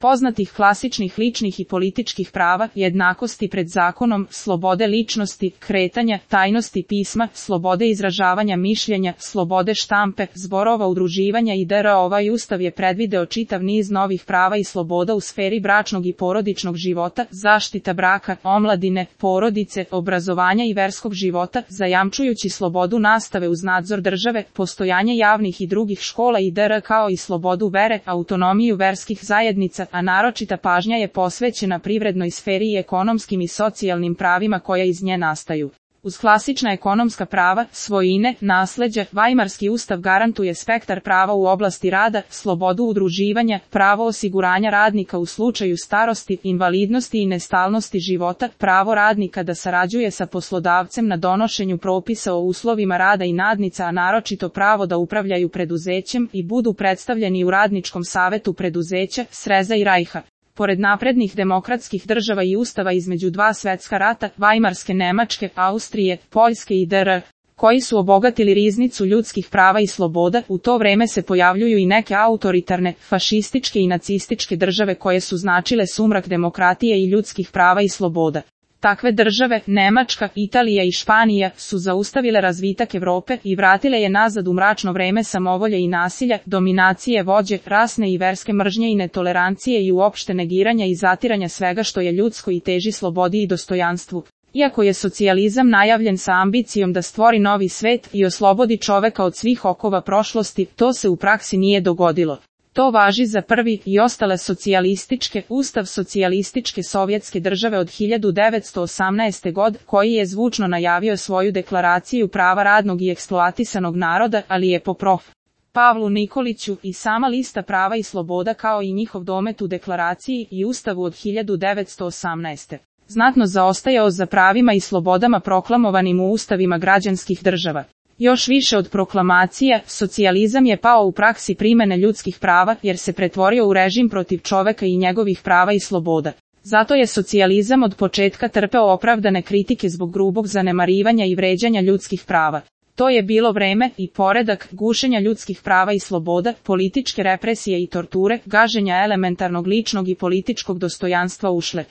poznatih klasičnih ličnih i političkih prava, jednakosti pred zakonom, slobode ličnosti, kretanja, tajnosti pisma, slobode izražavanja mišljenja, slobode štampe, zborova, udruživanja i dr. Ovaj ustav je predvideo čitav niz novih prava i sloboda u sferi bračnog i porodičnog života, zaštita braka, omladine, porodice, obrazovanja i verskog života, zajamčujući slobodu nastave uz nadzor države, postojanje javnih i drugih škola i dr. kao i slobodu vere, autonomiju verskih zajednica, a naročita pažnja je posvećena privrednoj sferi i ekonomskim i socijalnim pravima koja iz nje nastaju. Uz klasična ekonomska prava, svojine, nasleđa, Vajmarski ustav garantuje spektar prava u oblasti rada, slobodu udruživanja, pravo osiguranja radnika u slučaju starosti, invalidnosti i nestalnosti života, pravo radnika da sarađuje sa poslodavcem na donošenju propisa o uslovima rada i nadnica, a naročito pravo da upravljaju preduzećem i budu predstavljeni u radničkom savetu preduzeća, Sreza i Rajha. Pored naprednih demokratskih država i ustava između dva svetska rata, Vajmarske Nemačke, Austrije, Poljske i dr. koji su obogatili riznicu ljudskih prava i sloboda, u to vreme se pojavljuju i neke autoritarne, fašističke i nacističke države koje su značile sumrak demokratije i ljudskih prava i sloboda. Takve države, Nemačka, Italija i Španija, su zaustavile razvitak Evrope i vratile je nazad u mračno vreme samovolje i nasilja, dominacije vođe, rasne i verske mržnje i netolerancije i uopšte negiranja i zatiranja svega što je ljudsko i teži slobodi i dostojanstvu. Iako je socijalizam najavljen sa ambicijom da stvori novi svet i oslobodi čoveka od svih okova prošlosti, to se u praksi nije dogodilo. To važi za prvi i ostale socijalističke, Ustav socijalističke sovjetske države od 1918. godine, koji je zvučno najavio svoju deklaraciju prava radnog i eksploatisanog naroda, ali je po prof. Pavlu Nikoliću i sama lista prava i sloboda kao i njihov domet u deklaraciji i Ustavu od 1918. znatno zaostajao za pravima i slobodama proklamovanim u ustavima građanskih država. Još više od proklamacija, socijalizam je pao u praksi primene ljudskih prava jer se pretvorio u režim protiv čoveka i njegovih prava i sloboda. Zato je socijalizam od početka trpeo opravdane kritike zbog grubog zanemarivanja i vređanja ljudskih prava. To je bilo vreme i poredak gušenja ljudskih prava i sloboda, političke represije i torture, gaženja elementarnog ličnog i političkog dostojanstva ušle.